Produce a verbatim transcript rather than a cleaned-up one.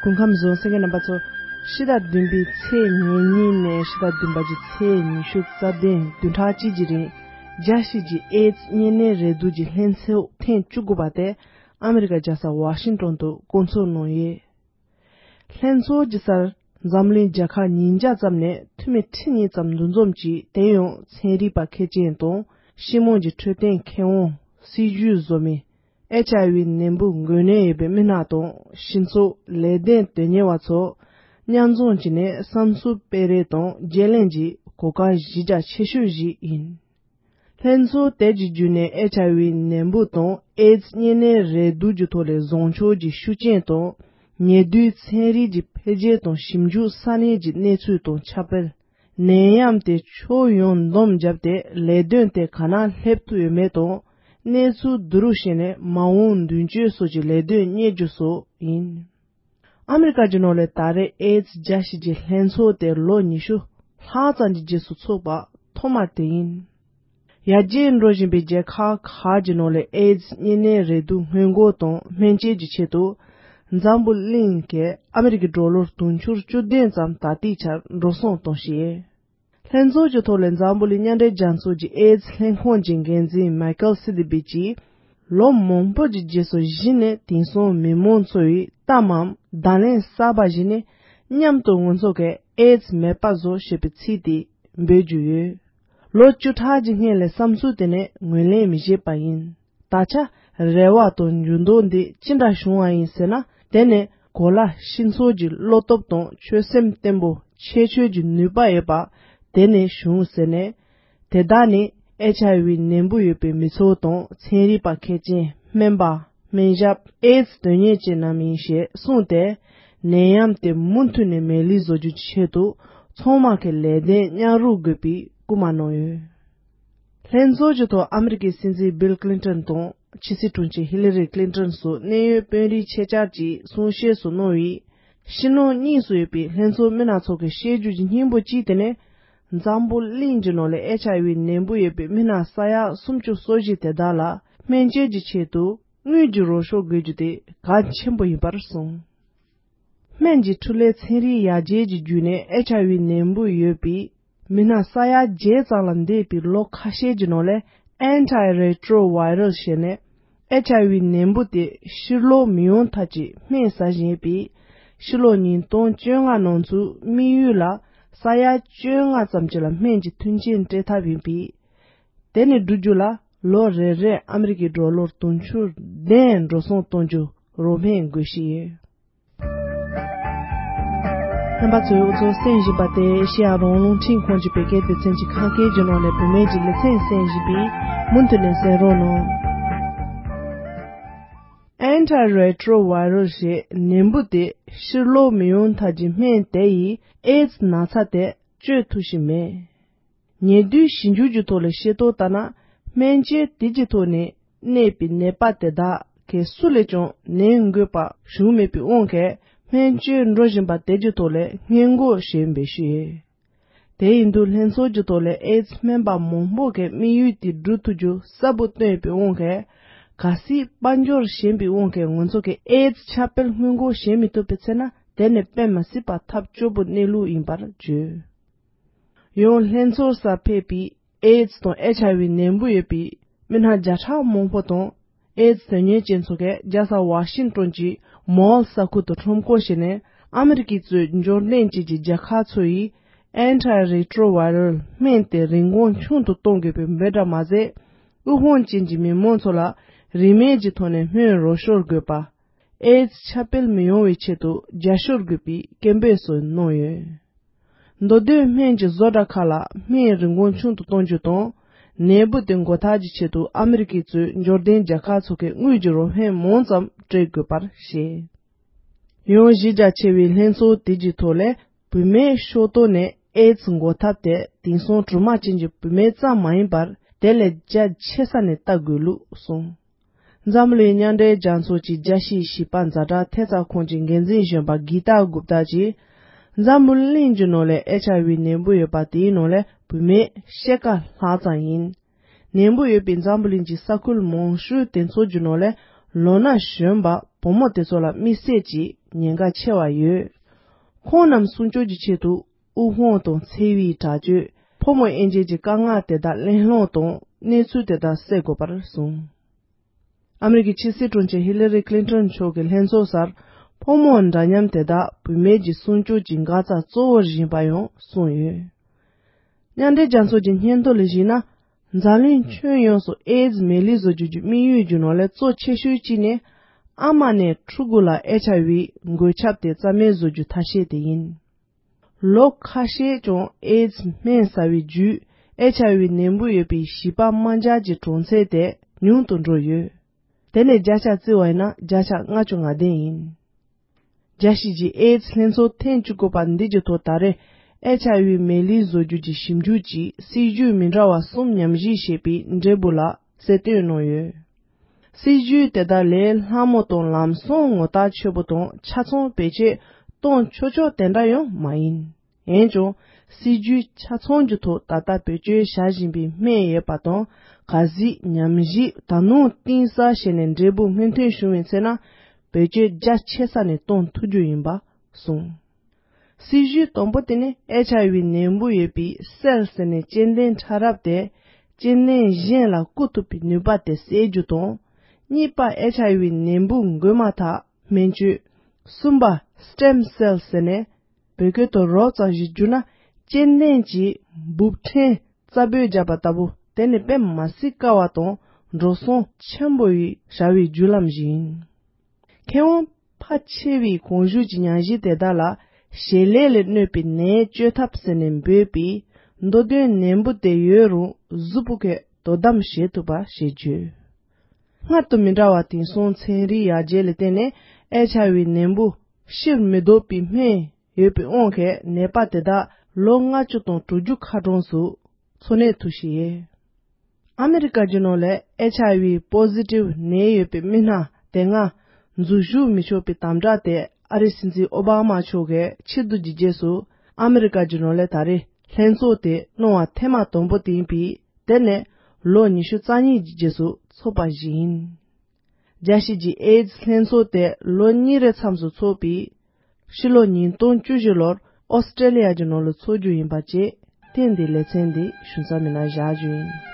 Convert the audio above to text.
སྐུ་ཁམས་བཟང་། གསན་མཁན་རྣམ་པ་ཚོ། ཕྱི་ཟླ་བདུན་པའི་ཚེས་ཉེར་གཉིས་ནས་ཕྱི་ཟླ་བདུན་པ་གི་ཚེས་ཉི་ཤུ་རྩ་བདུན་བདུན་ཕྲག་གཅིག་གི་རིང་རྒྱལ་སྤྱི་གི་ཨེ་ཛི་གཉན་ནད་རེག་དུག་གི་ལྷན་ཚོགས་ཐེངས་བཅུ་དགུ་པ་དེ་ཨ་མི་རི་ཀ་རྒྱལ་ས་ཝ་ཤིང་ཏོན་དུ་བསྐོང་ཚོགས་གནང་ཡོད། ལྷན་ཚོགས་ཀྱི་སར་འཛམ་གླིང་རྒྱལ་ཁབ་ཉིས་བརྒྱ་ཙམ་ནས་འཐུས་མི་ཁྲི་གཉིས་ཙམ་འདུ་འཛོམས་ཀྱིས། དེ་ཡང་ཚན་རིག་པ་མཁས་ཅན་དང་སྤྱི་དམངས་ཀྱི་འཕྲོད་བསྟེན་མཁས་དབང་། སྲིད་ཇུས་བཟོ་མི། ཨེཆ་ཨའི་ཝི་ནད་འབུ་འགོས་ནད་ཡོད་པའི་མི་སྣ་དང་སྤྱི་ཚོགས་ལས་དོན་དོན་གཉེར་བ་ཚོ་མཉམ་འཛོམས་བྱས་ནས་བསམ་ཚུལ་སྤེལ་རེས་དང་བརྗེ་ལེན་གྱི་གོ་སྐབས་གཞི་རྒྱ་ཆེ་ཤོས་ཤིག་ཡིན། ལྷན་ཚོགས་དེ་གྱི་བརྒྱུད་ནས་ཨེཆ་ཨའི་ཝི་ནད་འབུ་དང་ཨེ་ཛི་གཉན་ནད་རེག་དུག་གི་ཐོག་ལ་བཟང་ཕྱོགས་ཀྱི་ཤུགས་རྐྱེན་དང་། ཉེ་དུས་ཚན་རིག་གི་འཕེལ་རྒྱས་དང་ཞིབ་འཇུག་ས་གནས་ཀྱི་གནས་ཚུལ་དང་ཁྱབ་སྤེལ། ནད་ཡམས་དེ་ཕྱོགས་ཡོངས་བསྡོམས་བརྒྱབ་སྟེ་ལས་དོན་དེ་ག་ན་སླེབས་ཐུབ་ཡོད་མེད་དང་། གནས་ཚུལ་བསྡུ་རུབ་བྱས་ནས་མ་འོངས་མདུན་སྐྱོད་སོགས་ཀྱི་ལས་དོན་གཉེར་རྒྱུ་སོགས་ཡིན། ཨ་མི་རི་ཀ་གི་ནང་ལ་ད་རེས་ཨེ་ཛི་རྒྱལ་སྤྱི་གི་ལྷན་ཚོགས་དེ་ལོ་ཉི་ཤུ་ལྷག་ཙམ་གྱི་རྗེས་སུ་ཚོགས་པ་ཐོག་མ་དེ་ཡིན། ཡར་རྒྱས་འགྲོ་བཞིན་པའི་རྒྱལ་ཁབ་ཁག་གི་ནང་ལ་ཨེ་ཛི་གཉན་ནད་རེག་དུག་སྔོན་འགོག་དང་སྨན་བཅོས་ཀྱི་ཆེད་དུ་འཛམ་བུ་གླིང་གི་ཨ་མི་རི་ཀའི་ཌོ་ལར་དུང་ཕྱུར་བཅུ་བདུན་ཙམ་ད་ལྟའི་ཆར་འགྲོ་སོང་གཏོང་བཞིན་ཡོད། ལྷན་ཚོགས་ཀྱི་ཐོག་ལ་འཛམ་བུ་གླིང་མཉམ་འབྲེལ་རྒྱལ་ཚོགས་ཀྱི་ཨེ་ཛི་ལྷན་ཁང་གི་འགན་འཛིན་མའི་ཀལ་སི་ཏི་བིད་ཀྱིས། ལོ་མང་པོ་གྱི་རྗེས་སུ་གཞི་ནས་དེང་སང་མི་མང་ཚོ་ཡིས་གཏམ་མམ་བརྡ་ལན་གསར་པ་ཞིག་ནི། མཉམ་དུ་ང་ཚོ་གིས་ཨེ་ཛི་མེད་པ་བཟོ་ཞེས་པའི་ཚིག་དེ་འབོད་ཀྱི་ཡོད། ལོ་བཅུ་ཕྲག་གི་སྔོན་ལ་བསམ་ཚུལ་དེ་ནི་ངོས་ལེན་མི་བྱེད་པ་ཡིན། ད་ཆ་རེ་བ་དང་འགྱུར་ལྡོག་འདི་ཅི་འདྲ་བྱུང་བ་ཡིན་ཟེར་ན། དེ་ནི་གོ་ལ་ཧྲིལ་ཚོགས་ཀྱི་བློ་སྟོབས་དང་ཆོད་སེམས་བརྟན་པོ་ཁྱད་ཆོས་ཀྱི་ནུས་པ་ཡོད་པ་དེ་ནས་བྱུང་ཟེར་ནས། དེ་དག་ནི་ཨེཆ་ཨའི་ཝི་ནད་འབུ་ཡོད་པའི་མི་ཚོ་དང་ཚན་རིག་པ་མཁས་ཅན། སྨན་པ། སྨན་ཞབས། ཨེ་ཛི་དོན་གཉེར་ཅན་རྣམས་ཡིན་ཞེས་གསུངས་ཏེ། ནད་ཡམས་དེ་མུ་མཐུད་ནས་མེད་ལུས་བཟོ་རྒྱུ་གྱི་ཆེད་དུ་ཚང་མ་གིས་ལས་དོན་མཉམ་རུབ་དགོས་པའི་སྐུལ་མ་གནང་ཡོད། ལྷན་ཚོགས་ཀྱི་ཐོག་ཨ་མི་རི་ཀའི་སྲིད་འཛིན་བིལ་ཀླིན་ཏོན་དང་ཕྱི་སྲིད་དྲུང་ཆེ་ཧི་ལི་རི་ཀླིན་ཏོན་སོགས་གནད་ཡོད་དཔོན་རིགས་ཆེད་བཅར་གྱིས་གསུང་བཤད་སོགས་གནང་བའི། ཕྱི་ནང་གཉིས་སུ་ཡོད་པའི་ལྷན་ཚོགས་མི་སྣ་ཚོ་གིས་བཤད་རྒྱུ་གྱི་སྙིང་པོ་གཅིག་དེ་ནི། འཛམ་བུ་གླིང་གི་ནང་ལ་ཨེཆ་ཨའི་ཝི་ནད་འབུ་ཡོད་པའི་མི་སྣ་ས་ཡ་སུམ་ཅུ་སོ་བཞི་དེ་དག་ལ་སྨན་བཅོས་ཀྱི་ཆེད་དུ་དངུལ་གྱི་རོགས་སྐྱོར་དགོས་རྒྱུ་དེ་གལ་ཆེན་པོ་ཡིན་པར་གསུངས། སྨན་གྱི་འཕྲུལ་ལས་ཚན་རིག་ཡར་རྒྱས་ཀྱི་བརྒྱུད་ནས་ཨེཆ་ཨའི་ཝི་ནད་འབུ་ཡོད་པའི་མི་སྣ་ས་ཡ་བརྒྱད་ཙམ་ལ་འདས་པའི་ལོ་ཁ་ཤས་ཀྱི་ནང་ལ་ཨན་ཊི་རེ་ཊོ་ཝའི་རལ་ཞེས་ནས་ཨེཆ་ཨའི་ཝི་ནད་འབུ་དེ་ཕྱིར་ལོག་མི་ཡོང་ཐབས་ཀྱི་སྨན་ཟ་བཞིན་ཡོད་པས། ཕྱི་ལོ་ཉིས་སྟོང་བཅོ་ལྔ་ནང་ཚུད་དམིགས་ཡུལ་ལ་ས་ཡ་བཅོ་ལྔ་ཙམ་གྱི་ལ་སྨན་གྱི་མཐུན་རྐྱེན་སྤྲད་ཐབས་ཡིན་པས། དེ་ནི་བསྒྲུབ་རྒྱུ་ལ་ལོ་རེ་རེར་ཨ་མི་རི་ཀའི་ཌོ་ལར་དུང་ཕྱུར་བདུན་འགྲོ་སོང་གཏོང་རྒྱུ་རོགས་ཕན་དགོས་ཤིང་ཡོད། རྣམ་པ་ཚོས་འུ་ཚོ་གསན་བཞིན་པ་དེ་ཨེ་ཤེ་ཡ་རང་དབང་རླུང་འཕྲིན་ཁང་གི་བོད་སྐད་སྡེ་ཚན་གྱི་ཁམས་སྐད་ཀྱི་ནང་ནས་བུད་མེད་ཀྱི་ལེ་ཚན་གསན་བཞིན་པས། མུ་མཐུད་ནས་གསན་རོགས་གནང་། ཨན་ཊི་རེ་ཊོ་ཝའི་རལ་ཞེས་ནད་འབུ་དེ་ཕྱིར་ལོག་མི་ཡོང་ཐབས་ཀྱི་སྨན་དེ་ཡིས་ཨེ་ཛི་ན་ཚ་དེ་བཅོས་ཐུབ་བཞིན་མེད། ཉེ་དུས་ཞིབ་འཇུག་གི་ཐོག་ལ་ཤེས་རྟོགས་ལྟར་ན། སྨན་བཅོས་དེ་གྱི་ཐོག་ནས་གནས་པའི་ནད་པ་དེ་དག་གི་སུ་ལས་ཀྱང་ནད་འགོས་པ་བྱུང་མེད་པའི་དབང་གིས། སྨན་བཅོས་འགྲོ་བཞིན་པ་དེ་གྱི་ཐོག་ལ་སྔོན་འགོག་བྱེད་འབད་ཞུས་ཡོད། དེ་ཡིན་དུས་ལྷན་ཚོགས་ཀྱི་ཐོག་ལ་ཨེ་ཛི་སྨན་པ་མང་པོ་གིས་དམིགས་ཡུལ་དེ་འགྲུབ་ཐུབ་རྒྱུ་གསལ་པོ་བཏོན་ཡོད་པའི་དབང་གིས། གལ་སྲིད་དཔལ་འབྱོར་ཞན་པའི་དབང་གིས་ང་ཚོ་གིས་ཨེ་ཛི་ཁྱབ་སྤེལ་སྔོན་འགོག་བྱེད་མི་ཐུབ་པའི་ཚེ་ན། དེ་ནི་དཔེ་མི་སྲིད་པ་ཐབས་སྐྱོ་པོ་གནས་ལུགས་ཡིན་པར་བརྗོད། ཡང་ལྷན་ཚོགས་སར་ཕེབས་པའི་ཨེ་ཛི་དང་ཨེཆ་ཨའི་ཝི་ནད་འབུ་ཡོད་པའི་མི་སྣ་བརྒྱ་ཕྲག་མང་པོ་དང་། ཨེ་ཛི་དོན་གཉེར་ཅན་ཚོ་གིས་རྒྱལ་ས་ཝ་ཤིང་ཏོན་གྱི་མོལ་ས་ཁུལ་དུ་ཁྲོམ་སྐོར་བྱས་ནས། ཨ་མི་རི་ཀས་གཙོས་འབྱོར་ལྡན་ཅན་གྱི་རྒྱལ་ཁབ་ཚོ་ཡིས་ཨན་ཊི་རེ་ཊོ་ཝའི་རལ་སྨན་དེ་རིན་གོང་ཆུང་དུ་གཏོང་དགོས་པའི་འབོད་སྒྲ་མ་ཟད། དབུལ་ཕོངས་ཅན་གྱི་མི་མང་ཚོ་ལ་རིན་མེད་ཀྱི་ཐོག་ནས་སྨན་རོགས་སྐྱོར་དགོས་པ། ཨེ་ཛི་ཁྱབ་སྤེལ་མི་ཡོང་བའི་ཆེད་དུ་རྒྱབ་སྐྱོར་དགོས་པའི་སྐད་འབོད་སོགས་གནང་ཡོད། མདོ་སྟོད་སྨན་གྱི་བཟོ་གྲྭ་ཁག་ལ་སྨན་རིན་གོང་ཆུང་དུ་གཏོང་རྒྱུ་དང་། ནད་འབུ་དེ་འགོག་ཐབས་ཀྱི་ཆེད་དུ་ཨ་མི་རི་ཀས་གཙོས་འབྱོར་ལྡན་རྒྱལ་ཁབ་ཚོ་གིས་དངུལ་གྱི་རོགས་ཕན་མང་ཙམ་སྤྲད་དགོས་པར་བཤད། ཡང་གཞི་རྒྱ་ཆེ་བའི་ལྷན་ཚོགས་དེ་གྱི་ཐོག་ལས། བུད་མེད་ཕྱོགས་གཏོགས་ནས་ཨེ་ཛི་འགོག་ཐབས་དེ་དེང་སང་སྦྲུམ་མ་ཅན་གྱི་བུད་མེད་ཙམ་མ་ཡིན་པར། དེ་ལས་རྒྱ་ཆེ་ས་ནས་ལྟ་དགོས་ལུགས་གསུངས། འཛམ་གླིང་མཉམ་འབྲེལ་རྒྱལ་ཚོགས་ཀྱི་རྒྱལ་སྤྱིའི་བྱིས་པ་ཛ་དྲག་ཐེབས་རྩ་ཁང་གི་འགན་འཛིན་གཞོན་པ་གི་ཏཱ་གུབ་ཏཱ་གྱིས། འཛམ་བུ་གླིང་གི་ནང་ལ་ཨེཆ་ཨའི་ཝི་ནད་འབུ་ཡོད་པ་དེའི་ནང་ལ་བུད་མེད་ཕྱེད་ཀ་ལྷག་ཙམ་ཡིན། ནད་འབུ་ཡོད་པའི་འཛམ་བུ་གླིང་གི་ས་ཁུལ་མང་ཤོས་དེ་ཚོ་གི་ནང་ལ་ ལོ་ན་གཞོན་པ་བུ་མོ་དེ་ཚོ་ལ་དམིགས་བསལ་གྱི་ཉེན་ཁ་ཆེ་བ་ཡོད། ཁོང་རྣམས་སྲུང་སྐྱོབ་ཀྱི་ཆེད་དུ་དབུགས་ཧོན་དང་འཚེ་བའི་དྲག་སྤྱོད། ཕོ་མོ་དབྱེ་འབྱེད་ཀྱི་དཀའ་ངལ་དེ་དག་གླེང་སློང་དང་གནས་ཚུལ་དེ་དག་སེལ་དགོས་པར་གསུངས། ཨ་མི་རི་ཀའི་ཕྱི་སྲིད་དྲུང་ཆེ་ཧི་ལ་རི་ཀླིན་ཏོན་མཆོག་གིས་ལྷན་ཚོགས་སར་ཕོ་མོ་འདྲ་མཉམ་དེ་དག་བུད་མེད་ཀྱི་སྲུང་སྐྱོབ་ཀྱི་འགག་རྩ་གཙོ་བོར་བཞེངས་པ་ཡང་གསུངས་ཡོད། མཉམ་འབྲེལ་རྒྱལ་ཚོགས་ཀྱི་སྙན་ཐོ་ལ་གཞིགས་ན། འཛམ་གླིང་ཁྱོན་ཡོངས་སུ་ཨེ་ཛི་མེ་ལི་བཟོ་རྒྱུ་གྱི་དམིགས་ཡུལ་གྱི་ནང་ལས་གཙོ་ཆེ་ཤོས་གཅིག་ནི། ཨ་མ་ནས་ཕྲུ་གུ་ལ་ཨེཆ་ཨའི་ཝི་འགོས་ཁྱབ་དེ་རྩ་མེད་བཟོ་རྒྱུ་ཐབས་ཤེས་དེ་ཡིན། ལོ་ཁ་ཤས་ཀྱང་ཨེ་ཛི་སྨན་ཟ་བའི་བརྒྱུད་ཨེཆ་ཨའི་ཝི་ནད་འབུ་ཡོད་པའི་བྱིས་པ་དམར་འབྱར་གྱི་གྲངས་ཚད་དེ་ཉུང་དུ་འགྲོ་ཡོད། དེ་ནས་བརྒྱ་ཆ་བརྩི་བ་ཡིན་ན་བརྒྱ་ཆ་ལྔ་བཅུ་ང་བདུན་ཡིན། རྒྱལ་སྤྱི་གི་ཨེ་ཛི་ལྷན་ཚོགས་ཐེངས་བཅུ་དགུ་པ་འདི་གི་ཐོག་ད་རེས་ཨེཆ་ཨའི་ཝི་མེ་ལི་བཟོ་རྒྱུ་གྱི་ཞིབ་འཇུག་གི་སྲིད་ཇུས་མི་འདྲ་བ་གསུམ་ཉམས་ཞིབ་བྱས་པའི་འབྲས་བུ་ལ་གསལ་སྟོན་གནང་ཡོད། སྲིད་ཇུས་དེ་དག་ལས་སླ་མོ་དང་ལམ་སང་ངོ་རྟགས་ཆོད་པོ་དང་ཆ་ཚང་བེད་སྤྱོད་གཏོང་ཆོག་ཆོག་དེ་འདྲ་ཡང་མ་ཡིན། འོན་ཀྱང་སྲིད་ཇུས་ཆ་ཚང་གི་ཐོག་ད་ལྟ་བེད་སྤྱོད་བྱ་བཞིན་པའི་སྨན་ཡོད་པ་དང་ག་གཟིགས་ཉམས་ཞིབ་ད་ནང་གཏིང་ཟབ་བྱས་ནས་འབྲས་བུ་མངོན་ཐོན་བྱུང་བའི་ཚེ་ན་བེད་སྤྱོད་རྒྱ་ཆེ་ས་ནས་གཏོང་ཐུབ་རྒྱུ་ཡིན་པ་གསུངས། སྲིད་ཇུས་དང་པོ་དེ་ནི་ཨེཆ་ཨའི་ཝི་ནད་འབུ་ཡོད་པའི་སེལ་ཟེར་ནས་སྐྱེ་ལྡན་ཕྲ་རབ་དེ་སྐྱེ་ལྡན་གཞན་ལ་བསྐུར་ཐུབ་པའི་ནུས་པ་དེ་སེལ་རྒྱུ་དང་། གཉིས་པ་ཨེཆ་ཨའི་ཝི་ནད་འབུ་འགོས་མ་ཐག་སྨན་བཅོས། གསུམ་པ་སི་ཊེམ་སེལ་ཟེར་ནས་བོད་སྐད་དུ་རོབ་ཙམ་ཞིག་བསྒྱུར་ན་སྐྱེ་ལྡན་གྱི་འབུབ་ཕྲན་རྩ་སྦོས་བརྒྱབ་པ་ལྟ་བུ་དེ་ནི་དཔེ་མ་སྲིད་དཀའ་བ་དང་འགྲོ་སོང་ཆེན་པོ་ཡི་བྱ་བའི་བརྒྱུད་ལམ་ཞིག་ཡིན། མཁས་དབང་ཕལ་ཆེ་བའི་གོང་ཞུས་ཀྱི་ཉམས་ཞིབ་དེ་དག་ལ་ཞལ་ལས་ལ་གནོད་པའི་ནད་བཅོས་ཐབས་ཟེར་ནས་འབོད་པའི་མདོ་དོན་ནད་འབུ་དེ་ཡོད་རུང་གཟུགས་པོ་གིས་དོ་དམ་བྱེད་ཐུབ་པ་ཞེས་བརྗོད། སྔར་དང་མི་འདྲ་བ་དེང་སང་ཚན་རིག་ཡར་རྒྱས་ལ་བརྟེན་ནས་ཨེཆ་ཨའི་ཝི་ནད་འབུ་ཕྱིར་མི་ལྡོག་པའི་སྨན་ཡོད་པའི་དབང་གིས་ནད་པ་དེ་དག་ལོ་ལྔ་བཅུ་དང་དྲུག་ཅུ་ཁ་གྲངས་སུ་འཚོ་གནས་ཐུབ་བཞིན་ཡོད། ཨ་མི་རི་ཀ་གི་ནང་ལ་ཨེཆ་ཨའི་ཝི་པོ་ཟི་ཊིབ་ནད་ཡོད་པའི་མི་སྣ་དེ་སྔ་འཛུལ་ཞུགས་མི་ཆོག་པའི་དམ་བསྒྲགས་དེ་ཨ་རིའི་སྲིད་འཛིན་ཨོ་བྷ་མ་མཆོག་གིས་ཕྱིར་བསྡུ་གྱི་རྗེས་སུ་ཨ་མི་རི་ཀ་གི་ནང་ལ་ད་རེས་ལྷན་ཚོགས་དེ་གནང་བ་ཐེངས་མ་དང་པོ་དེ་ཡིན་པས་དེ་ནི་ལོ་ཉི་ཤུ་རྩ་གཉིས་ཀྱི་རྗེས་སུ་ཚོགས་པ་ཞིག་ཡིན། རྒྱལ་སྤྱི་གི་ཨེ་ཛི་ལྷན་ཚོགས་དེ་ལོ་གཉིས་རེའི་མཚམས་སུ་ཚོགས་པས། ཕྱི་ལོ་ཉིས་སྟོང་བཅུ་བཞི་ལོར་ཨོ་སི་ཀྲེ་ལི་ཡ་གི་ནང་ལ་འཚོགས་རྒྱུ་ཡིན་པ་བཅས་ཐེངས་འདིའི་ལེ་ཚན་འདི་ཞུ་མཚམས་མི་སྣ་བཞག་རྒྱུ་ཡིན།